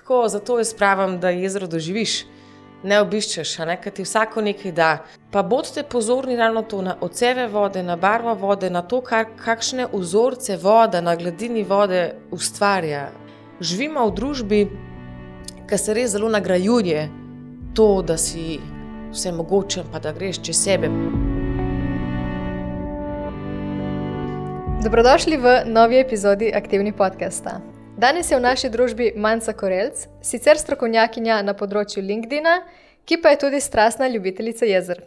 tako, zato jaz pravim, da jezero doživiš, ne obiščeš, ker ti vsako nekaj da. Pa bodite pozorni ravno to na odseve vode, na barvo vode, na to, kakšne vzorce voda na gladini vode ustvarja. Živimo v družbi, ki se res zelo nagrajuje to, da si vse mogočen, pa da greš čez sebe. Dobrodošli v novi epizodi Aktivni podcasta. Danes je v naši družbi Manca Korelc, sicer strokovnjakinja na področju LinkedIna, ki pa je tudi strastna ljubiteljica jezer.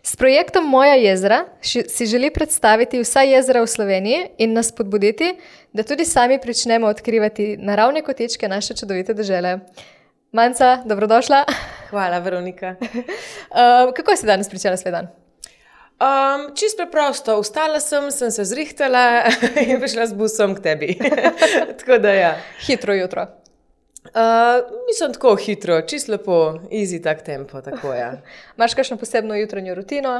S projektom Moja jezera si želi predstaviti vsa jezera v Sloveniji in nas spodbuditi, da tudi sami pričnemo odkrivati naravne kotičke naše čudovite dežele. Manca, dobrodošla. Hvala, Veronika. Kako si danes pričela svoj dan? Čisto preprosto, vstala sem se zrihtala in prišla z busom k tebi. Tako da ja. Hitro jutro. Mislim tako hitro, čisto lepo, easy tak tempo, tako ja. Imaš kakšno posebno jutranjo rutino?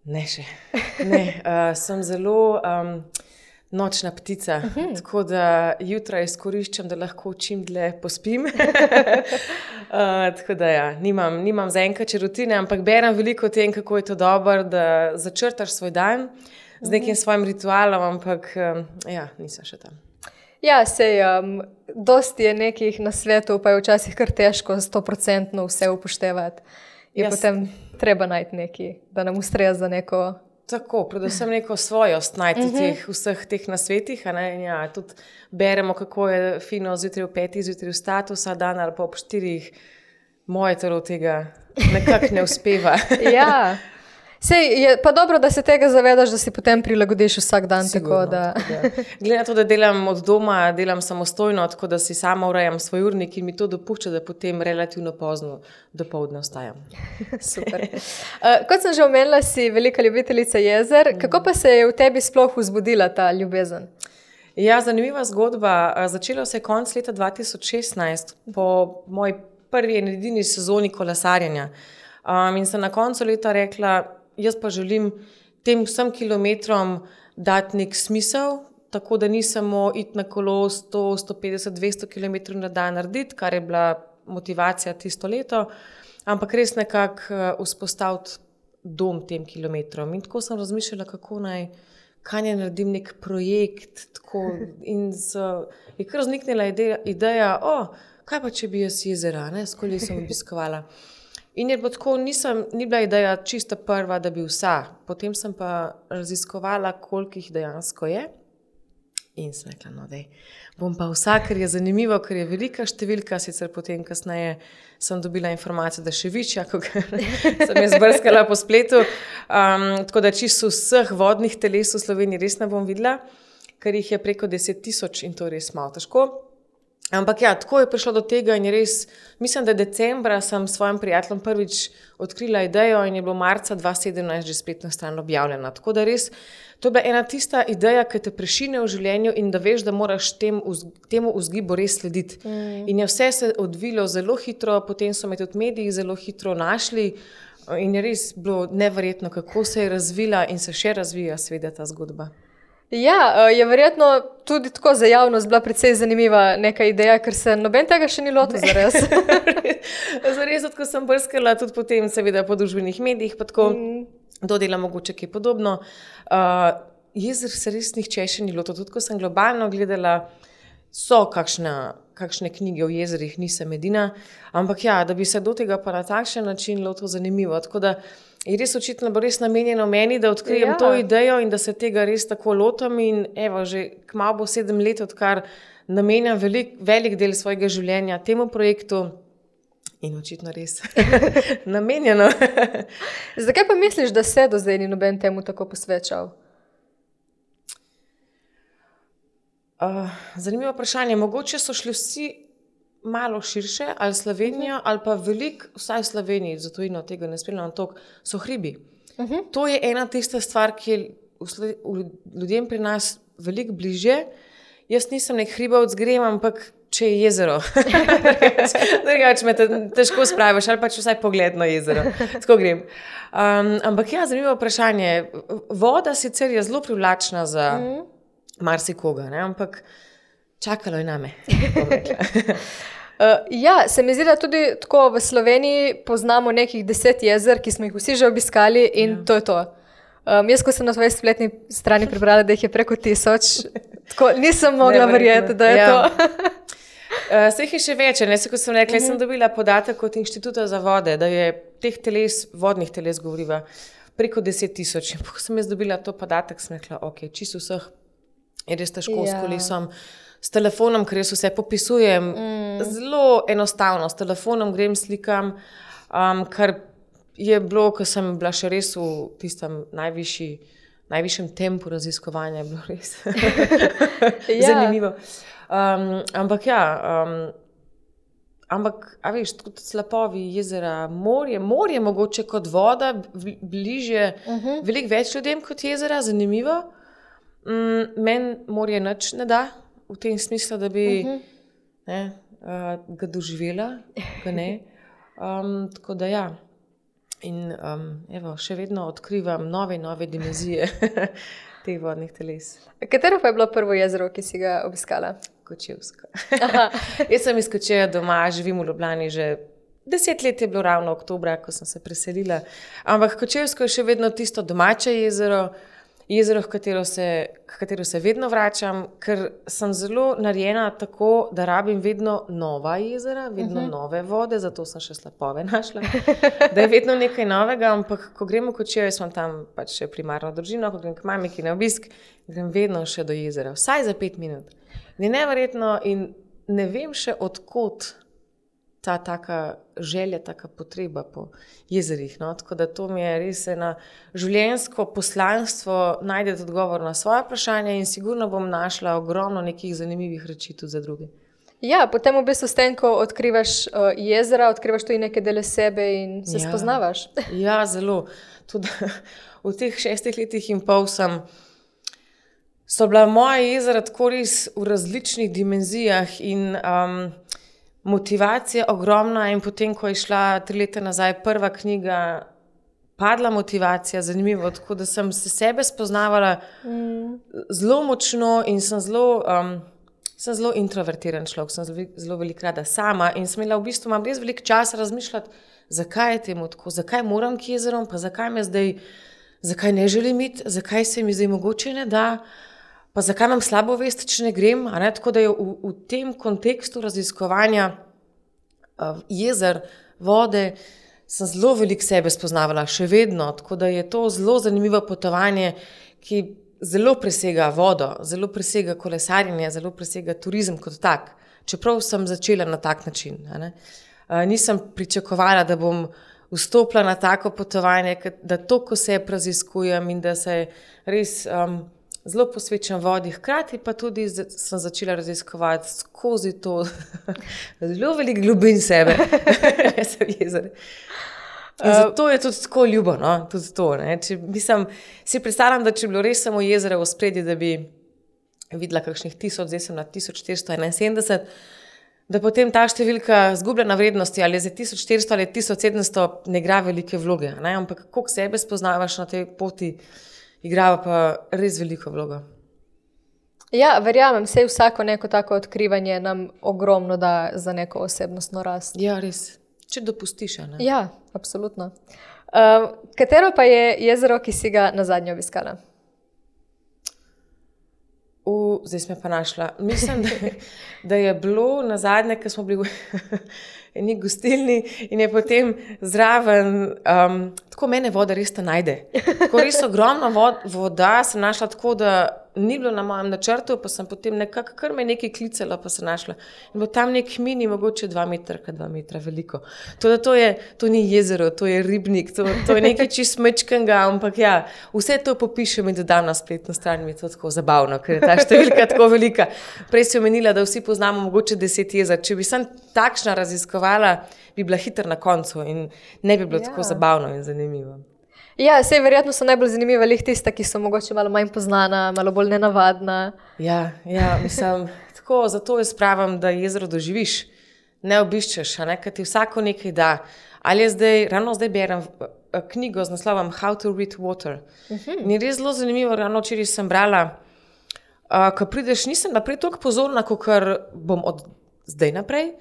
Ne še. Ne, sem zelo nočna ptica, tako da jutra izkoriščam, da lahko čim dlje pospim. Tako da ja, nimam zaenkrat še rutine, ampak berem veliko o tem, kako je to dobro, da začrtaš svoj dan z nekim svojim ritualom, ampak ja, nisem še tam. Ja, sej, dosti je nekih na svetu, pa je včasih kar težko 100% vse upoštevati. Je potem treba najti neki, da nam ustreza neko... Tako, predvsem neko svojost najti vseh teh nasvetih. Ja, tudi beremo, kako je fino zjutraj v 5, zjutraj vstati vsa dan ali pa ob 4. Moje telo tega nekako ne uspeva. Ja, sej, je pa dobro, da se tega zavedaš, da si potem prilagodiš vsak dan. Sigurno, tako da... Glede na to, da delam od doma, delam samostojno, tako da si sama urejam svoj urnik in mi to dopušča, da potem relativno pozno dopoldne vstajam. Super. Kot sem že omenila, si velika ljubiteljica jezer. Kako pa se je v tebi sploh vzbudila ta ljubezen? Ja, zanimiva zgodba. Začela se je konec leta 2016 po moji prvi in edini sezoni kolesarjenja. In sem na koncu leta rekla, jaz pa želim tem vsem kilometrom dati nek smisel, tako da ni samo iti na kolo 100, 150, 200 kilometrov na dan narediti, kar je bila motivacija tisto leto, ampak res nekako vzpostaviti dom tem kilometrom. In tako sem razmišljala, kaj naj naredim nek projekt, tako, in je kar vzniknila ideja, kaj pa če bi jaz jezera, skoli sem obiskovala. In je bilo tako, ni bila ideja čista prva, da bi vsa. Potem sem pa raziskovala, koliko jih dejansko je. In sem rekla, bom pa vsa, ker je zanimivo, ker je velika številka, sicer potem kasneje sem dobila informacijo, da še večja, ko sem je zbrskala po spletu. Tako da čisto vseh vodnih teles v Sloveniji res ne bom videla, ker jih je preko 10,000 in to je res malo težko. Ampak ja, tako je prišlo do tega in je res, mislim, da decembra sem s svojim prijateljem prvič odkrila idejo in je bilo marca 2017 že spletna stran objavljena. Tako da res, to je bila ena tista ideja, ki te prešine v življenju in da veš, da moraš temu vzgibu res slediti. In je vse se odvilo zelo hitro, potem so me tudi mediji zelo hitro našli in je res bilo neverjetno, kako se je razvila in se še razvija seveda ta zgodba. Ja, je verjetno tudi tako za javnost bila precej zanimiva neka ideja, ker se noben tega še ni lotil zares. Zares, ko sem brskala tudi potem seveda po družbenih medijih, pa tako dodela mogoče kaj podobno. Jezer se res nihče še ni lotil, tudi ko sem globalno gledala, so kakšne knjige o jezerih, nisem edina, ampak ja, da bi se do tega pa na takšen način lotil zanimivo, tako da je res očitno bo res namenjeno meni, da odkrijem to idejo in da se tega res tako lotam in evo, že kmalu bo 7 let, odkar namenjam velik del svojega življenja temu projektu in očitno res namenjeno. Zakaj pa misliš, da se do zdaj ni noben temu tako posvečal? Zanimivo vprašanje. Mogoče so šli vsi malo širše, ali Slovenijo, ali pa veliko, vsaj v Sloveniji, zato in od tega ne spremljam toliko, so hribi. To je ena tista stvar, ki je ljudem pri nas veliko bližje. Jaz nisem nek hribovec, grem, ampak če je jezero. Drugače me težko spraviš, ali pa če vsaj pogled na jezero. Tako grem. Ampak ja, zanimivo vprašanje. Voda sicer je zelo privlačna za marsikoga, ampak čakalo je name. Ja, se mi zdi, da tudi tako v Sloveniji poznamo nekih 10 jezer, ki smo jih vsi že obiskali in to je to. Jaz, ko sem na svoji spletni strani prebrala, da jih je preko 1000, tako nisem mogla verjeti, da je to. Se jih je še več, ne, kot sem rekla, sem dobila podatek od Inštituta za vode, da je teh vodnih teles govoriva preko 10 000. Ko sem jaz dobila to podatek, sem rekla, ok, čisto vseh je res težko s kolesom, s telefonom, ker jaz vse popisujem, zelo enostavno, s telefonom grem, slikam, kar je bilo, ko sem bila še res v tistem najvišjem tempu raziskovanja, je bilo res zanimivo. Ampak a veš, tudi slapovi jezera, morje mogoče kot voda, bližje, veliko več ljudem kot jezera, zanimivo. Meni morje nič ne da, v tem smislu, da bi ga doživela, ga ne. Tako da ja. In evo, še vedno odkrivam nove dimenzije teh vodnih teles. Katero pa je bilo prvo jezero, ki si ga obiskala? Kočevsko. Jaz sem iz Kočevja doma, živim v Ljubljani že 10 let, je bilo ravno oktobra, ko sem se preselila. Ampak Kočevsko je še vedno tisto domače jezero, v katero se vedno vračam, ker sem zelo narejena tako, da rabim vedno nova jezera, vedno nove vode, zato sem še slapove našla, da je vedno nekaj novega, ampak ko gremo v Kočevje, smo tam pač še primarno družino, ko grem k mamiki na obisk, grem vedno še do jezera, vsaj za 5 minut. Je neverjetno in ne vem še odkot ta taka želja, taka potreba po jezerih. No? Tako da to mi je res ena življenjsko poslanstvo, najdete odgovor na svoje vprašanje in sigurno bom našla ogromno nekih zanimivih reči tudi za druge. Ja, potem v bistvu s tem, ko odkrivaš jezera, odkrivaš tudi neke dele sebe in se spoznavaš. Ja, zelo. Tudi v teh 6 letih in pol so bila moja jezera tako res v različnih dimenzijah in motivacija ogromna in potem, ko je šla 3 leta nazaj prva knjiga, padla motivacija, zanimivo, tako da sem se sebe spoznavala zelo močno in sem zelo introvertiran človek, sem zelo veliko rada sama in sem imela v bistvu, imam res veliko časa razmišljati, zakaj je temu tako, zakaj moram k jezerom, pa zakaj ne želim iti, zakaj se mi zdaj mogoče ne da, pa zakaj imam slabo vest, če ne grem, tako da je v tem kontekstu raziskovanja jezer, vode, sem zelo veliko sebe spoznavala, še vedno, tako da je to zelo zanimivo potovanje, ki zelo presega vodo, zelo presega kolesarjenje, zelo presega turizem kot tak, čeprav sem začela na tak način. Nisem pričakovala, da bom vstopila na tako potovanje, da toliko sebe raziskujem in da se res zelo posvečam vodi, hkrati pa tudi sem začela raziskovati skozi to zelo veliko globin sebe, ne sem jezer. In zato je tudi tako ljubo, no? Tudi to. Si predstavljam, da če bi bilo res samo jezero v spredju, da bi videla kakšnih 1000, zdaj sem na 1471, da potem ta številka zgubljena vrednosti, ali je za 1400 ali 1700, ne igra velike vloge. Ampak koliko sebe spoznavaš na tej poti, igrava pa res veliko vlogo. Ja, verjamem, vsako neko tako odkrivanje nam ogromno da za neko osebnostno rast. Ja, res. Če dopustiš, ne? Ja, absolutno. Katero pa je jezero, ki si ga nazadnje obiskala? Zdaj smo pa našla. Mislim, da je bilo nazadnje, ko smo bili v eni gostilni in je potem zraven, tako mene voda res te najde. Tako res ogromno voda sem našla tako, da ni bilo na mojem načrtu, pa sem potem nekako kar me nekaj klicala, pa sem našla. In bo tam nek mini, mogoče 2 metra, 2 metra veliko. To ni jezero, to je ribnik, to je nekaj čist mečkega, ampak ja, vse to popišem in dodam na spletno stran, mi je to tako zabavno, ker je ta številka tako velika. Prej si omenila, da vsi poznamo mogoče 10 jezer. Če bi sem takšna raziskovala, bi bila hitro na koncu in ne bi bilo tako zabavno in zanimivo. Ja, verjetno so najbolj zanimiva tista, ki so mogoče malo manj poznana, malo bolj nenavadna. Ja, mislim, tako, zato jaz pravim, da jezero doživiš, ne obiščeš, ker ti vsako nekaj da. Ali ravno zdaj berem knjigo z naslovom How to Read Water. In je res zelo zanimivo, ravno včeraj sem brala, ko prideš, nisem naprej toliko pozorna, kot bom od zdaj naprej,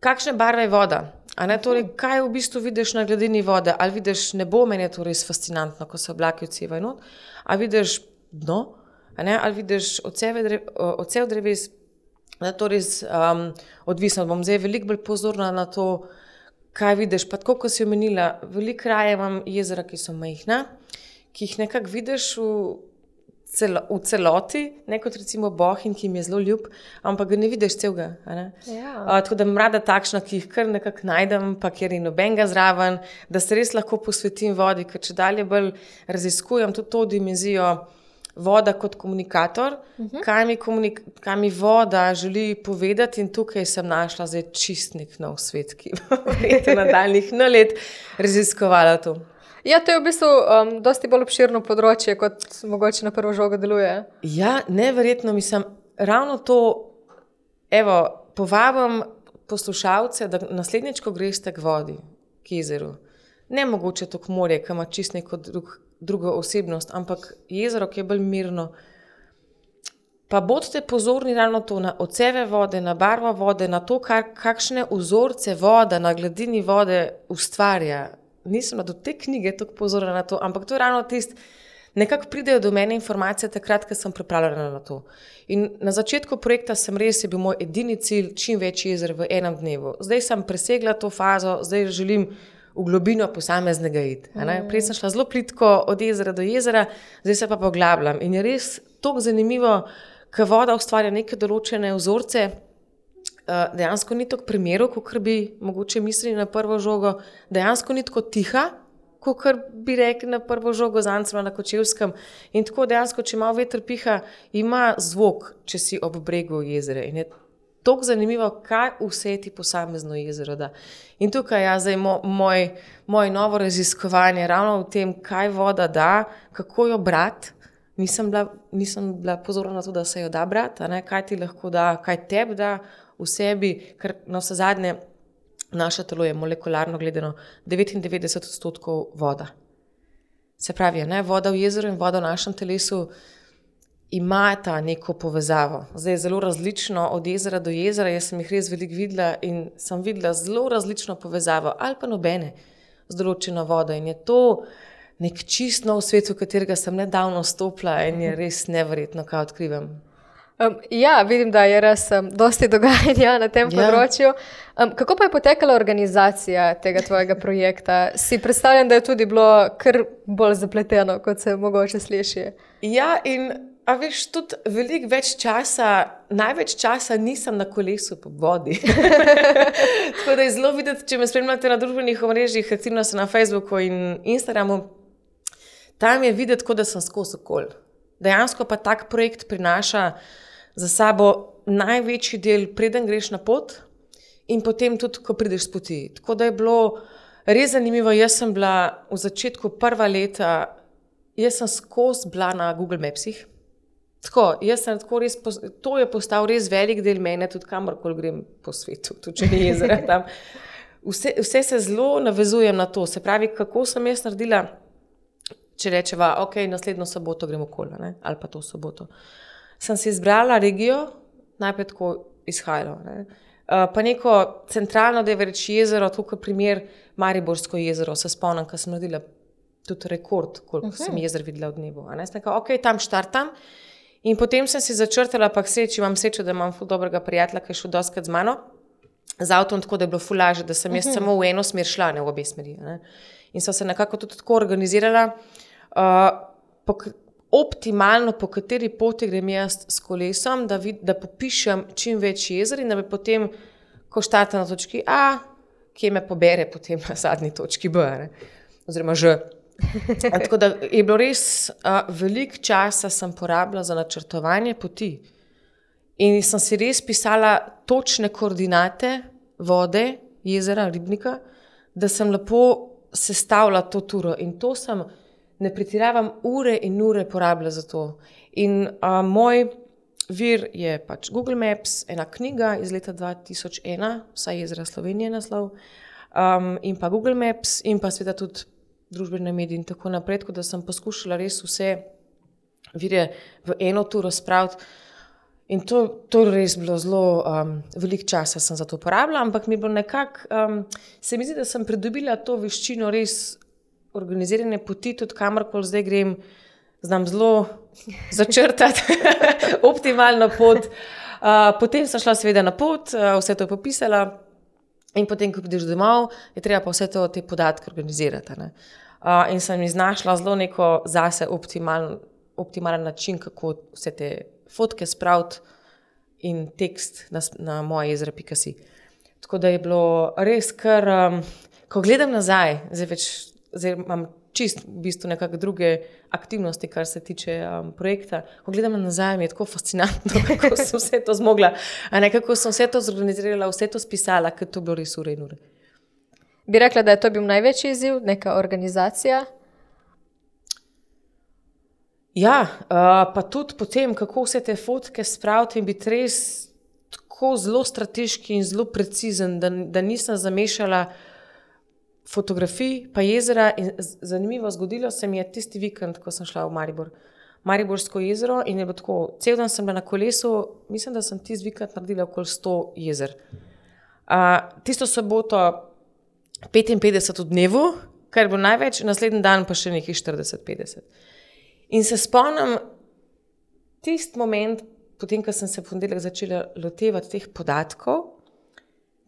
kakšne barve je voda. Torej, kaj v bistvu vidiš na gladini vode? Ali vidiš nebo, meni je to res fascinantno, ko se oblaki odsevajo not, ali vidiš dno, ali vidiš odsev dreves, to res odvisno. Bom zdaj veliko bolj pozorna na to, kaj vidiš. Pa tako, ko si omenila, veliko raje imam jezera, ki so majhna, ki jih nekako vidiš v celoti, ne kot recimo Bohinj, ki mi je zelo ljub, ampak ga ne vidiš celega. Tako da imam rada takšna, ki jih kar nekako najdem, pa kjer je nobenega zraven, da se res lahko posvetim vodi, ker če dalje bolj raziskujem tudi to dimenzijo voda kot komunikator, kaj mi voda želi povedati, in tukaj sem našla zdaj čistnik nov svet, ki bo nadaljnjih let raziskovala to. Ja, to je v bistvu dosti bolj obširno področje, kot mogoče na prvo žogo deluje. Ja, neverjetno, mislim, ravno to, povabim poslušalce, da naslednjič, ko greste k vodi, k jezeru, ne mogoče to k morje, ki ima čist neko drugo osebnost, ampak jezero, ki je bolj mirno, pa bodite pozorni ravno to, na odseve vode, na barvo vode, na to, kakšne vzorce voda na gladini vode ustvarja. Nisem do te knjige tako pozorna na to, ampak to je ravno tisto, nekako pridejo do mene informacije takrat, ko sem pripravljena na to. In na začetku projekta je bil moj edini cilj čim več jezer v enem dnevu. Zdaj sem presegla to fazo, zdaj želim v globino posameznega iti. Prej sem šla zelo plitko od jezera do jezera, zdaj se pa poglabljam. In je res toliko zanimivo, ko voda ustvarja neke določene vzorce, dejansko ni toliko primerov, kot bi mogoče mislili na prvo žogo, dejansko ni tako tiha, kot bi rekli na prvo žogo z Ancema na Kočevskem. In tako dejansko, če malo veter piha, ima zvok, če si ob bregu jezera. In je toliko zanimivo, kaj vse ti posamezno jezero da. In tukaj zdaj moje novo raziskovanje, ravno v tem, kaj voda da, kako jo brati. Nisem bila pozorna na to, da se jo da brati, kaj ti lahko da, kaj tebi da v sebi, ker na vse zadnje naše telo je molekularno gledano 99% voda. Se pravi, voda v jezeru in voda v našem telesu imata neko povezavo. Zdaj je zelo različno od jezera do jezera, jaz sem jih res veliko videla in sem videla zelo različno povezavo, ali pa nobene z določeno vodo. In je to nek čist nov svet, v katerega sem nedavno stopila, in je res neverjetno, kaj odkrivam. Ja, vidim, da je res dosti dogajanja na tem področju. Kako pa je potekala organizacija tega tvojega projekta? Si predstavljam, da je tudi bilo kar bolj zapleteno, kot se mogoče sliši. Ja, in veš, tudi veliko več časa, največ časa nisem na kolesu po vodi. Tako da je zelo videti, če me spremljate na družbenih omrežjih, recimo se na Facebooku in Instagramu, tam je videti, kot da sem skozi okol. Dejansko pa tak projekt prinaša za sabo največji del, preden greš na pot, in potem tudi, ko prideš s poti. Tako da je bilo res zanimivo. Jaz sem bila v začetku prva leta, jaz sem skozi bila na Google Mapsih. To je postal res velik del mene, tudi kamorkoli grem po svetu, tudi če ni jezera tam. Vse se zelo navezujem na to. Se pravi, kako sem jaz naredila, če rečeva, naslednjo soboto gremo okoli, ali pa to soboto. Sem si izbrala regijo, najprej tako izhajalo, pa neko centralno, da je reči jezero, tukaj primer Mariborsko jezero, se spomnim, ko sem naredila tudi rekord, koliko sem jezer videla v dnevu. Sem rekla, tam štartam, in potem sem si začrtala, pa imam srečo, da imam ful dobrega prijatelja, ki je šel dostikrat z mano, z avtom, tako da je bilo ful lažje, da sem jaz samo v eno smer šla, ne v obe smeri. In so se nekako tudi tako organizirala, optimalno, po kateri poti grem jaz s kolesom, da popišem čim več jezer in da bi potem, ko štartam na točki A, kje me pobere potem na zadnji točki B, oziroma Ž. Tako da je bilo res veliko časa sem porabila za načrtovanje poti. In sem si res pisala točne koordinate vode, jezera, ribnika, da sem lepo sestavila to turo. In to sem, ne pretiravam, ure in ure porabila za to. In moj vir je pač Google Maps, ena knjiga iz leta 2001, vsaj jezera Slovenije naslov, in pa Google Maps, in pa seveda tudi družbene medije in tako naprej, tako da sem poskušala res vse vire v eno turo spraviti. In to res bilo zelo veliko časa sem za to porabila, ampak mi je bilo nekako, se mi zdi, da sem pridobila to veščino res organizirane poti, tudi kamorkoli zdaj grem, znam zelo začrtati optimalno pot. Potem sem šla seveda na pot, vse to popisala in potem, ko prideš domov, je treba pa vse te podatke organizirati. Ne? In sem iznašla zelo neko zase optimalen način, kako vse te fotke spraviti in tekst na moje jezera.si. Tako da je bilo res kar, ko gledam nazaj, zdaj imam čist v bistvu nekako druge aktivnosti, kar se tiče projekta. Ko gledam nazaj, mi je tako fascinantno, kako sem vse to zmogla, kako sem vse to zorganizirala, vse to spisala, ker to bilo res ure in ure. Bi rekla, da je to bil največji izziv, neka organizacija? Ja, pa tudi potem, kako vse te fotke spraviti in biti res tako zelo strateški in zelo precizen, da nisem zamešala fotografij pa jezera. In zanimivo zgodilo se mi je tisti vikend, ko sem šla v Mariborsko jezero in je bilo tako, cel dan sem bila na kolesu, mislim, da sem tisti vikend naredila okoli 100 jezer. Tisto soboto 55 v dnevu, kar je bilo največ, naslednji dan pa še nekaj 40-50. In se spomnim tisti moment, potem, ko sem se v ponedeljek začela lotevati teh podatkov,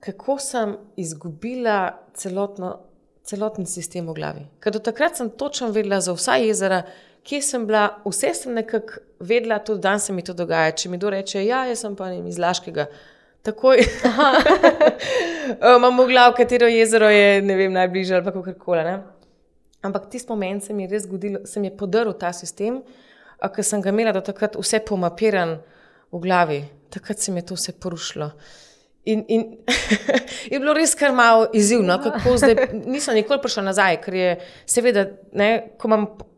kako sem izgubila celoten sistem v glavi. Ker do takrat sem točno vedela za vsa jezera, kje sem bila, vse sem nekako vedela, tudi dan se mi to dogaja. Če mi kdo reče, ja, jaz sem pa iz Laškega, takoj imam v glavi, katero jezero je, ne vem, najbližje ali pa kakorkoli, ne. Ampak tisti moment se mi je res zgodilo, se mi je podaril ta sistem, ker sem ga imela do takrat vse pomapiran v glavi. Takrat se mi je to vse porušilo. In je bilo res kar malo izzivno, kako zdaj, nisem nikoli prišla nazaj, ker je seveda, ne,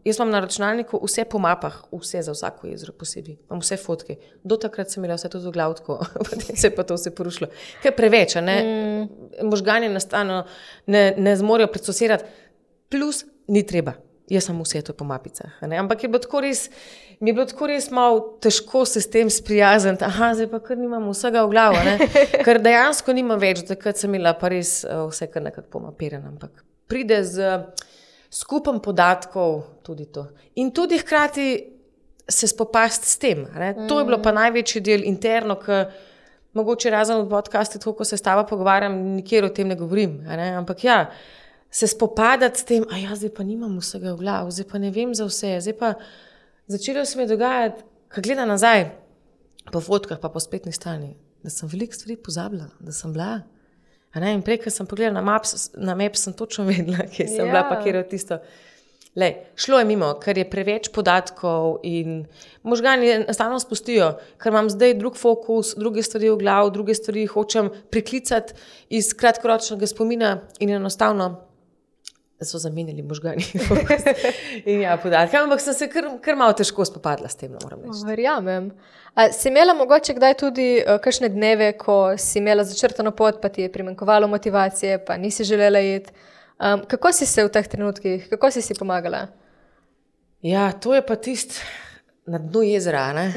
jaz imam na računalniku vse po mapah, vse za vsako jezero posebej, imam vse fotke. Do takrat sem imela vse to v glavi tako, potem se je pa to vse porušilo. Kaj preveč, ne? Možgani enostavno ne zmorejo procesirati. Plus, ni treba. Jaz sem vse to po mapicah. Ne? Ampak mi je bilo tako res malo težko se s tem sprijazniti. Zdaj pa kar nimam vsega v glavo. Ne? Ker dejansko nimam več, takrat sem imela pa res vse kar nekako pomapirano. Ampak pride z skupom podatkov tudi to. In tudi hkrati se spopasti s tem. Ne? To je bilo pa največji del interno, ker mogoče razen v podcastu, tako ko se s tabo pogovarjam, nikjer o tem ne govorim. Ne? Ampak ja, se spopadati s tem, zdaj pa nimam vsega v glavu, zdaj pa ne vem za vse, zdaj pa začelo se mi dogajati, ko gledam nazaj po fotkah pa po spletni strani, da sem veliko stvari pozabila, da sem bila. In prej, ko sem pogledala na map, sem točno vedela, kje sem bila, pa kjer je tisto. Šlo je mimo, ker je preveč podatkov in možgani enostavno spustijo, ker imam zdaj drug fokus, druge stvari v glavu, druge stvari hočem priklicati iz kratkoročnega spomina in enostavno so zamenjali možgani in podatke. Ampak sem se kar malo težko spopadla s tem, moram reči. Verjamem. Si imela mogoče kdaj tudi kakšne dneve, ko si imela začrtano pot, pa ti je primanjkovalo motivacije, pa nisi želela iti? Kako si se v teh trenutkih, kako si pomagala? Ja, to je pa tisti na dnu jezera, ne?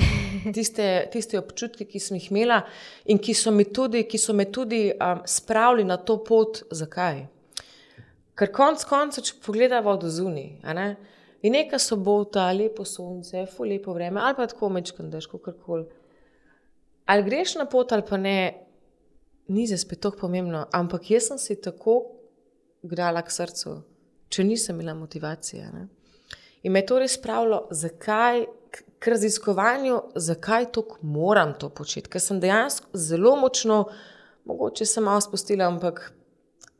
Tiste občutki, ki sem jih imela in ki so me tudi spravili na to pot. Zakaj? Ker konec, če pogledava od zunaj, in neka sobota, lepo sonce, lepo vreme, ali pa tako mečkan dež, kakorkoli. Ali greš na pot ali pa ne, ni za spet tako pomembno, ampak jaz sem si tako grala k srcu, če nisem imela motivacije. Ne? In me je to res spravilo, zakaj, k raziskovanju, zakaj tako moram to početi, ker sem dejansko zelo močno, mogoče sem malo spustila, ampak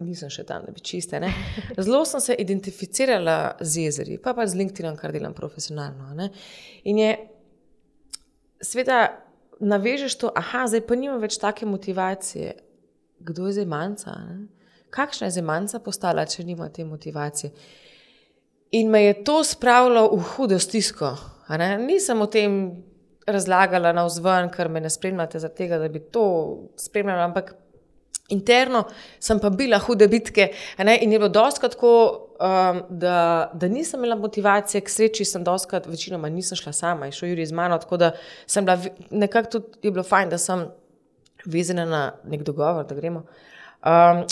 nisem še tam, da bi čiste. Ne? Zelo sem se identificirala z jezeri, pa z LinkedInom, kar delam profesionalno. Ne? In je, seveda, navežeš to, zdaj pa nimam več take motivacije. Kdo je zdaj manjca? Ne? Kakšna je zdaj manjca postala, če nima te motivacije? In me je to spravilo v hudo stisko. Nisem o tem razlagala navzven, ker me ne spremljate zaradi tega, da bi to spremljala, ampak interno sem pa bila hude bitke, in je bilo dostikrat tako, da nisem imela motivacije, k sreči sem doskrat, večinoma nisem šla sama, je šel Jurij z mano, tako da sem bila, nekako tudi je bilo fajn, da sem vezana na nek dogovor, da gremo.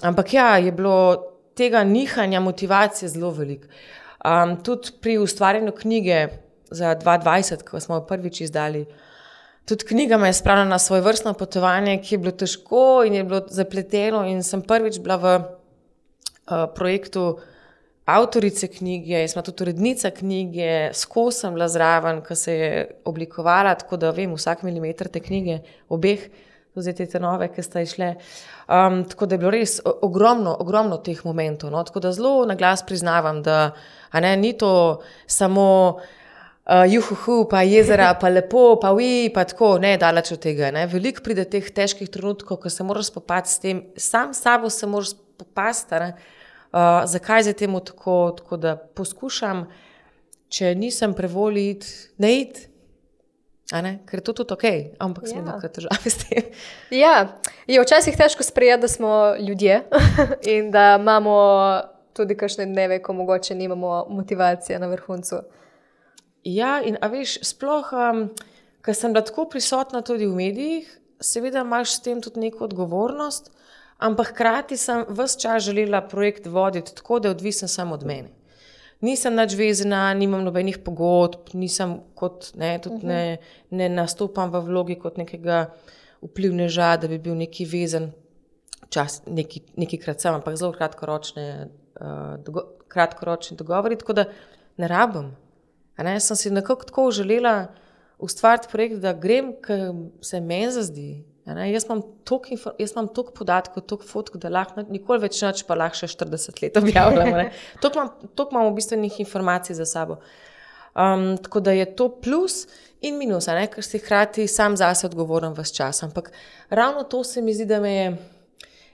Ampak ja, je bilo tega nihanja motivacije zelo veliko. Tudi pri ustvarjanju knjige za 2020, ko smo jo prvič izdali, tudi knjiga me je spravila na svoje vrstno potovanje, ki je bilo težko in je bilo zapleteno in sem prvič bila v projektu avtorice knjige, smo tudi urednica knjige, skozi sem bila zraven, ko se je oblikovala, tako da vem vsak milimeter te knjige, obeh, tudi te nove, ki sta išle. Tako da je bilo res ogromno teh momentov. No? Tako da zelo na glas priznavam, da ni to samo juhuhu, pa jezera, pa lepo, pa pa tako, ne, daleč od tega. Ne? Veliko pride teh težkih trenutkov, ko se moraš spopasti s tem, sam s sabo se moraš spopasti, zakaj je temu tako, da poskušam, če nisem prevoli ne iti, ker je to tudi ok, ampak smo nekaj težave s tem. Ja, je včasih težko sprejeti, da smo ljudje in da imamo tudi kakšne dneve, ko mogoče nimamo motivacije na vrhuncu. Ja, in a veš, sploh, ker sem bila tako prisotna tudi v medijih, seveda imaš s tem tudi neko odgovornost, ampak hkrati sem ves čas želela projekt voditi tako, da je odvisen samo od mene. Nisem nič vezana, nimam nobenih pogodb, nisem kot, ne nastopam v vlogi kot nekega vplivneža, da bi bil neki vezen čas, nekajkrat sem, ampak zelo kratkoročni dogovori, tako da ne rabim. Sem si nekako tako želela ustvariti projekt, da grem, ker se meni zazdi. Jaz imam toliko podatkov, toliko fotk, da lahko nikoli več nič, pa lahko še 40 let objavljam. Toliko imam v bistvu informacij za sabo. Tako da je to plus in minus, ker si hkrati sam zase odgovoren ves čas. Ampak ravno to se mi zdi, da me je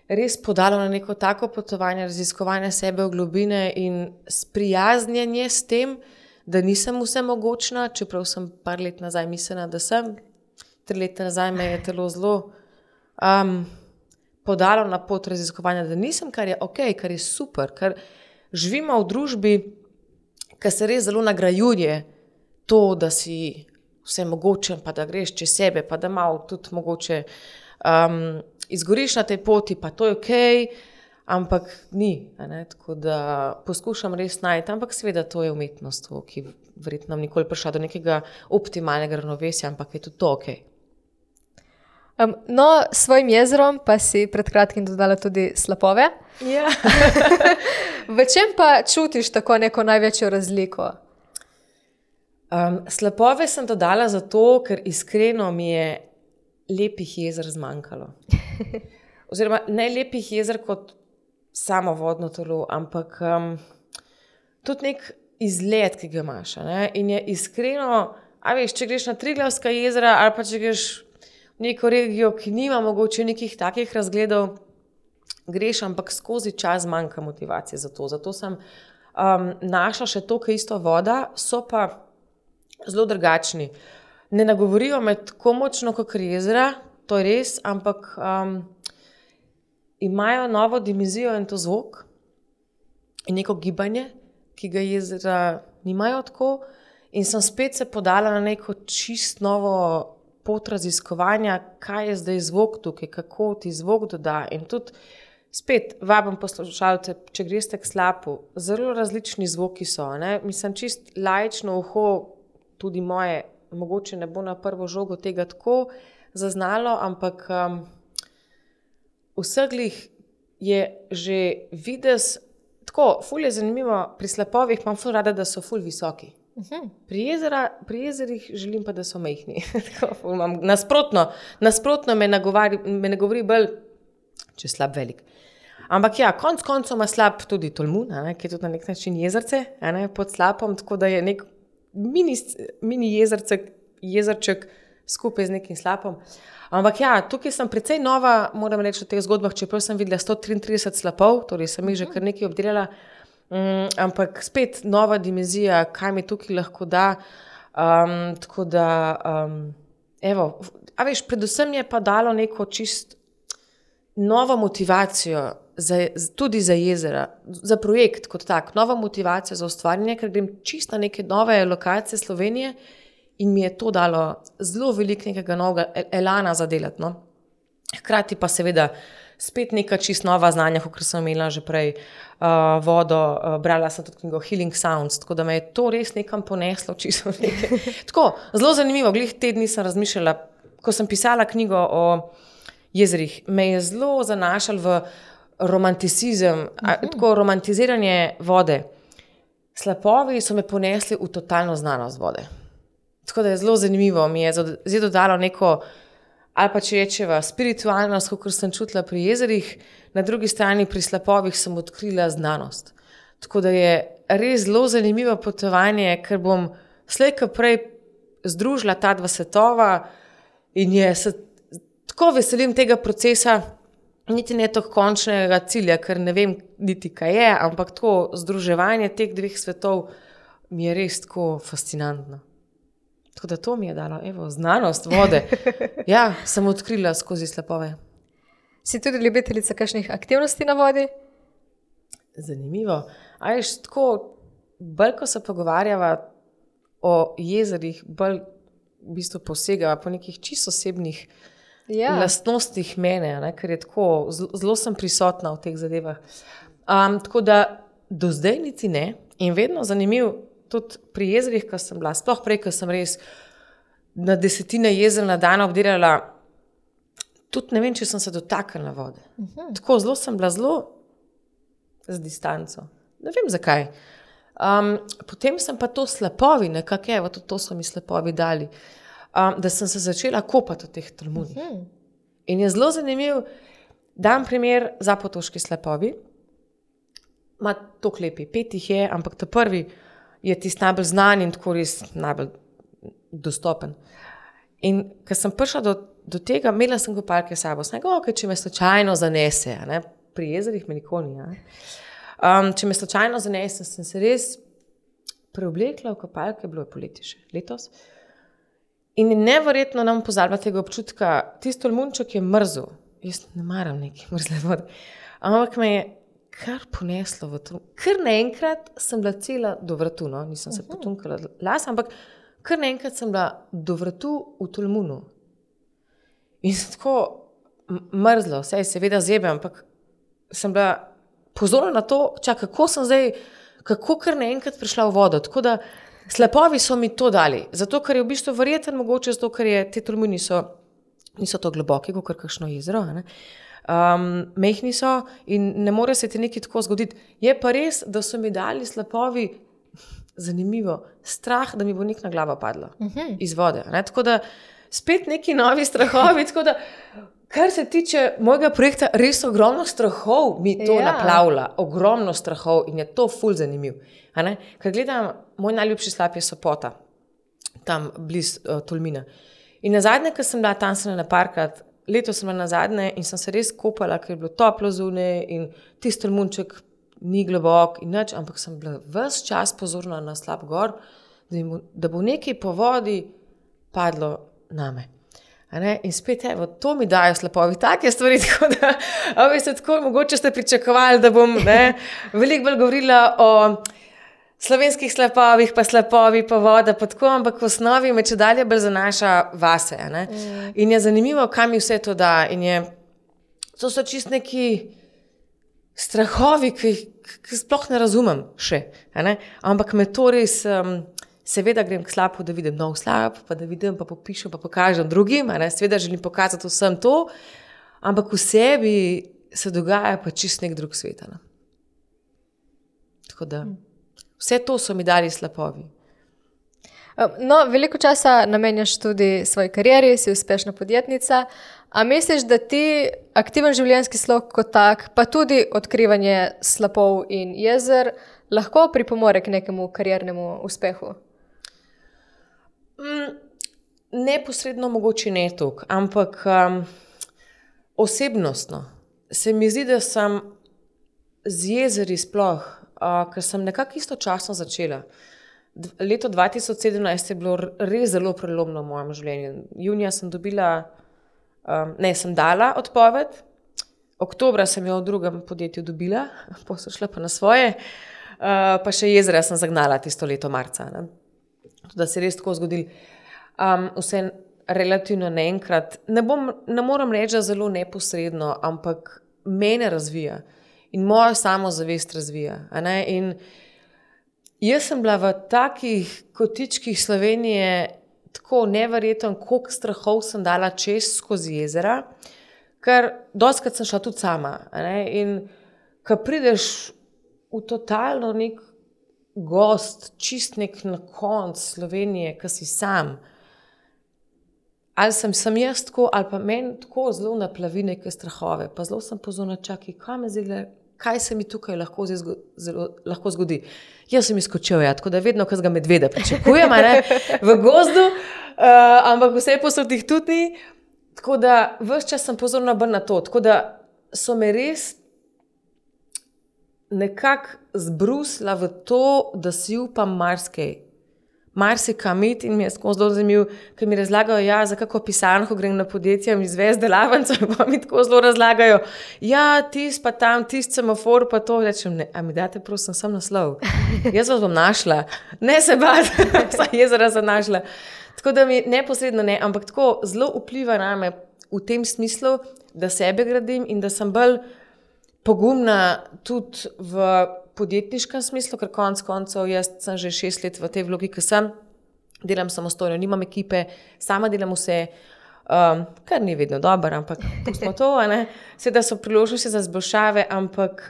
res podalo na neko tako potovanje, raziskovanje sebe v globine in sprijaznjenje s tem, da nisem vsemogočna, čeprav sem par let nazaj mislila, da sem. 3 leta nazaj me je telo zelo podalo na pot raziskovanja, da nisem, kar je ok, kar je super, ker živimo v družbi, ki se res zelo nagrajuje to, da si vsemogočen, pa da greš čez sebe, pa da malo tudi mogoče izgoriš na tej poti, pa to je ok, ampak ni. Tako da poskušam res najti, ampak seveda to je umetnost, ki verjetno nikoli prišla do nekega optimalnega ravnovesja, ampak je tudi to ok. No, s svojim jezerom pa si pred kratkim dodala tudi slapove. Ja. V čem pa čutiš tako neko največjo razliko? Slapove sem dodala zato, ker iskreno mi je lepih jezer zmanjkalo. Oziroma ne lepih jezer kot samo vodno telo, ampak tudi nek izgled, ki ga imaš. In je iskreno, če greš na Triglavska jezera ali pa če greš neko regijo, ki nima mogoče nekih takih razgledov, greš, ampak skozi čas manjka motivacije za to. Zato sem našla še toliko isto voda, so pa zelo drugačni. Ne nagovorijo me tako močno kot jezera, to je res, ampak imajo novo dimenzijo in to zvok in neko gibanje, ki ga jezera nimajo tako. In sem spet se podala na neko čist novo pot raziskovanja, kaj je zdaj zvok tukaj, kako ti zvok doda. In tudi spet vabim poslušalce, če greste k slapu, zelo različni zvoki so. Mislim, čist laično uho, tudi moje, mogoče ne bo na prvo žogo tega tako zaznalo, ampak vseglih je že videz, tako, ful je zanimivo, pri slapovih imam ful rada, da so ful visoki. Pri jezerih želim pa, da so majhni. Nasprotno me ne govori bolj, če je slap velik. Ampak ja, konc koncev ima slap tudi Tolmun, ki je tudi na nek način jezerce, pod slapom, tako da je nek mini jezerček skupaj z nekim slapom. Ampak ja, tukaj sem precej nova, moram reči, v teh zgodbah, čeprav sem videla 133 slapov, torej sem jih že kar nekaj obdelala, ampak spet nova dimenzija, kaj mi tukaj lahko da. Tako da, predvsem je pa dalo neko čist novo motivacijo tudi za jezera, za projekt kot tak, nova motivacija za ustvarjanje, ker grem čisto na neke nove lokacije Slovenije in mi je to dalo zelo veliko nekega novega elana za delati. No. Hkrati pa seveda spet neka čisto nova znanja, kot sem imela že prej, vodo, brala sem tudi knjigo Healing Sounds, tako da me je to res nekam poneslo, čisto nekaj. Tako, zelo zanimivo, glih te dni sem razmišljala, ko sem pisala knjigo o jezerih, me je zelo zanašal v romanticizem, tako romantiziranje vode. Slapovi so me ponesli v totalno znanost vode. Tako da je zelo zanimivo, mi je zdaj dodalo neko, ali pa če rečeva, spiritualnost, kot sem čutila pri jezerih, na drugi strani pri slapovih sem odkrila znanost. Tako da je res zelo zanimivo potovanje, ker bom slej ko prej združila ta dva svetova in se tako veselim tega procesa, niti ne toliko končnega cilja, ker ne vem niti kaj je, ampak to združevanje teh dveh svetov mi je res tako fascinantno. Tako da to mi je dalo, znanost vode. Ja, sem odkrila skozi slapove. Si tudi ljubiteljica kakšnih aktivnosti na vodi? Zanimivo. A veš, tako, bolj ko se pogovarjava o jezerih, bolj v bistvu posegava po nekih čisto osebnih lastnostih mene, ne, ker je tako, zelo sem prisotna v teh zadevah. Tako da do zdaj niti ne in vedno zanimiv tudi pri jezerih, ko sem bila, sploh prej, ko sem res na desetine jezer na dan obdelala, tudi ne vem, če sem se dotaknila vode. Tako zelo sem bila z distanco. Ne vem zakaj. Potem sem pa to slapovi, nekako tudi to so mi slapovi dali, da sem se začela kopati v teh tolmunih. In je zelo zanimiv, dam primer Zapotoški slapovi, ima toliko lepi, 5 jih je, ampak ta prvi je tisti najbolj znan in tako res najbolj dostopen. In ko sem prišla do tega, imela sem kopalke s sabo, sem rekla, če me slučajno zanese, ne? Pri jezerih me nikoli ni. Če me slučajno zanese, sem se res preoblekla v kopalke, bilo je poleti še letos. In neverjetno nam pozabila tega občutka, tisto tolmunček je mrzel, jaz ne maram neke mrzle vode, ampak me je kar poneslo v to. Kar naenkrat sem bila cela do vratu, no? Nisem se potunkala las, ampak kar naenkrat sem bila do vratu v tolmunu. In sem tako mrzlo, vse je seveda zebe, ampak sem bila pozorna na to, kako sem zdaj, kako kar naenkrat prišla v vodo. Tako da slapovi so mi to dali, zato ker je v bistvu verjetno mogoče, zato ker te tolmuni niso to globoki, kot kakšno jezero, ne? Mehni so in ne more se ti nekaj tako zgoditi. Je pa res, da so mi dali slapovi, zanimivo, strah, da mi bo nek na glavo padlo iz vode. Ne? Tako da spet neki novi strahovi, tako da kar se tiče mojega projekta, res ogromno strahov mi to naplavlja, ogromno strahov in je to ful zanimiv. Ker gledam, moj najljubši slap je Sopota, tam bliz Tolmina. In nazadnje, ko sem bila tam se na parkrat, letos sem bila nazadnje in sem se res kopala, ker je bilo toplo zunaj in tisti tolmunček ni globok in nič, ampak sem bila ves čas pozorna na slap gor, da bo nekaj po vodi padlo name. In spet, to mi dajo slapovi, take stvari, tako da, tako, mogoče ste pričakovali, da bom veliko bolj govorila o slovenskih slapovih, pa slapovi, pa voda, pa tako, ampak v osnovi me čedalje bolj zanaša vase. In je zanimivo, kam mi vse to da. In to so čist neki strahovi, ki sploh ne razumem še. Ampak me to res, seveda grem k slapu, da vidim nov slap, pa da vidim, pa popišem, pa pokažem drugim. Seveda želim pokazati vsem to, ampak v sebi se dogaja pa čist nek drug svet. Tako da vse to so mi dali slapovi. No, veliko časa namenjaš tudi svoji karieri, si uspešna podjetnica. A misliš, da ti aktiven življenjski slog kot tak, pa tudi odkrivanje slapov in jezer, lahko pripomore k nekemu kariernemu uspehu? Neposredno mogoče ne toliko, ampak osebnostno. Se mi zdi, da sem z jezeri sploh, ker sem nekako istočasno začela. Leto 2017 je bilo res zelo prelomno v mojem življenju. Junija sem sem dala odpoved, Oktobra sem jo v drugem podjetju dobila, pa so šla pa na svoje, pa še jezera sem zagnala tisto leto marca. Ne? Da se je res tako zgodilo. Vse relativno naenkrat. Ne moram reči, da zelo neposredno, ampak mene razvija in mojo samozavest razvija. A ne? In jaz sem bila v takih kotičkih Slovenije tako neverjetno, koliko strahov sem dala čez skozi jezera, ker dostikrat sem šla tudi sama. A ne? In ko prideš v totalno nek gost, čist nek na konc Slovenije, ko si sam, ali sem jaz tako, ali pa meni tako zelo naplavi neke strahove, pa zelo sem pozorna, kaj se mi tukaj lahko zgodi. Jaz sem izskočil, tako da vedno, ko ga medveda pričakujem, v gozdu, ampak vse posod jih tudi ni, tako da ves čas sem pozorna bolj na to, tako da so me res nekako zbrusila v to, da si upam marsikam iti in mi je zelo zanimivo, ker mi razlagajo, za kako pisarno, ko grem na podjetje, mi izvesti delavnico in pa mi tako zelo razlagajo, tis pa tam, tis semafor pa to, rečem, ne, a mi date prosim sam naslov, jaz vas bom našla, ne se bati, vsa jezera sem našla. Tako da mi neposredno ne, ampak tako zelo vpliva name v tem smislu, da sebe gradim in da sem bolj pogumna tudi v podjetniškem smislu, ker konec koncev jaz sem že 6 let v tej vlogi, ki sem, delam samostojno, nimam ekipe, sama delam vse, kar ni vedno dobro, ampak pustimo to, seveda so priložnosti za izboljšave, ampak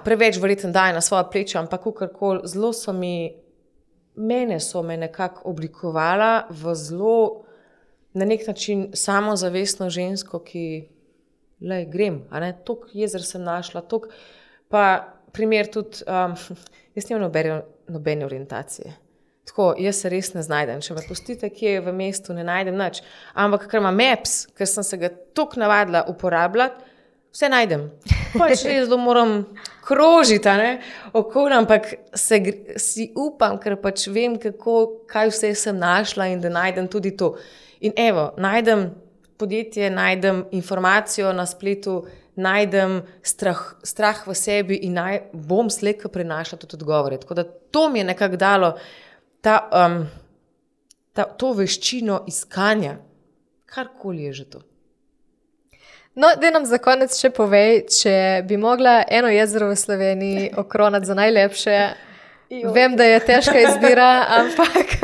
preveč verjetno daje na svoja pleča, ampak kakorkoli, zelo so me nekako oblikovala v zelo na nek način samozavestno žensko, ki grem, toliko jezer sem našla, toliko. Pa primer tudi, jaz nimam nobene orientacije. Tako, jaz se res ne znajdem. Če me pustite, kje v mestu, ne najdem nič. Ampak, ker imam Maps, ker sem se ga toliko navadila uporabljati, vse najdem. Pač res moram krožiti, okoli, ampak si upam, ker pač vem, kaj vse sem našla in da najdem tudi to. In evo, najdem podjetje, najdem informacijo na spletu, najdem strah v sebi in bom slejko prinašala tudi odgovore. Tako da to mi je nekako dalo to veščino iskanja, karkoli je že to. No, daj nam za konec še povej, če bi mogla eno jezero v Sloveniji okronati za najlepše. Vem, da je težka izbira, ampak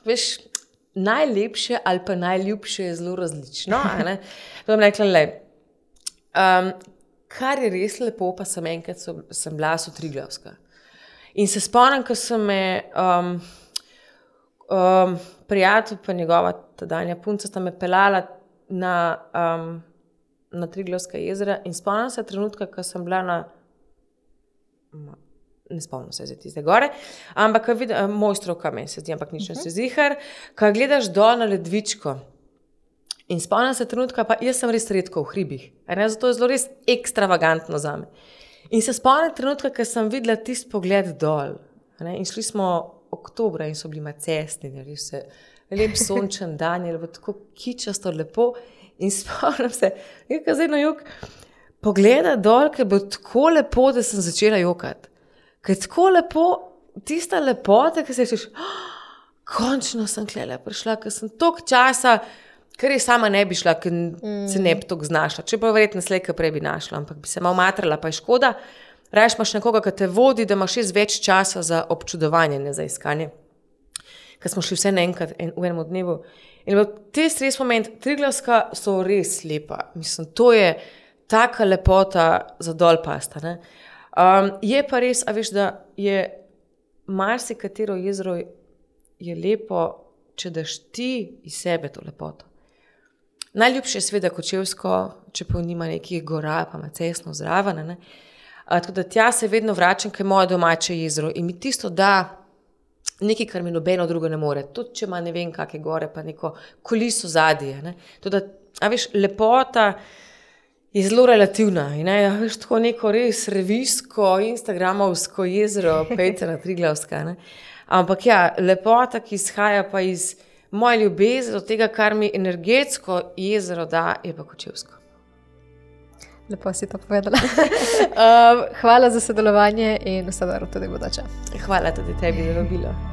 veš, najlepše ali pa najljubše je zelo različno. Bom rekla, kar je res lepo, pa sem enkrat sem bila so Triglavska. In se spomnim, ko sem me prijatelj pa njegova tedanja punca sta me pelala na Triglavska jezera in spomnim se trenutka, ko sem bila ne spomnim se tiste gore, ampak Mojstrovka meni se zdi, ampak nič ne se zihar, ko gledaš dol na ledvičko in spomnim se trenutka, pa jaz sem res redko v hribih, zato je zelo res ekstravagantno zame. In se spomnim trenutka, ko sem videla tisti pogled dol, in šli smo oktobra in so bili macesni, lep sončen dan, je bilo tako kičasto lepo in spomnim se, ko zdaj na jug, pogleda dol, ker je bilo tako lepo, da sem začela jokati. Ker je tako lepo, tista lepota, ki se rečeš, končno sem tule prišla, ker sem toliko časa, ker je sama ne bi šla, ker se ne bi toliko znašla. Če pa verjetno slejka prej bi našla, ampak bi se malo matrala, pa je škoda. Rajš imaš nekoga, ki te vodi, da imaš več časa za občudovanje, ne za iskanje. Ker smo šli vse naenkrat v enem dnevu. In te res moment, Triglavska so res lepa. Mislim, to je taka lepota za dol pasta, je pa res, a veš, da je marsikatero jezero je lepo, če daš ti iz sebe to lepoto. Najljubše je seveda Kočevsko, čeprav nima nekih gora, pa macesno zraven, tako da tja se vedno vračam, ker je moje domače jezero in mi tisto da nekaj, kar mi nobeno drugo ne more. Tudi če ima ne vem kakve gore, pa neko kuliso zadje. Tudi, a veš, lepota je zelo relativna. Veš, tako neko res revijsko, instagramovsko jezero, pejte na Triglavska. Ampak lepota, ki izhaja pa iz moja ljubezen do tega, kar mi energetsko jezero da, je pa Kočevsko. Lepo si to povedala. Hvala za sodelovanje in vse dobro tudi bodoče. Hvala tudi tebi za vabilo.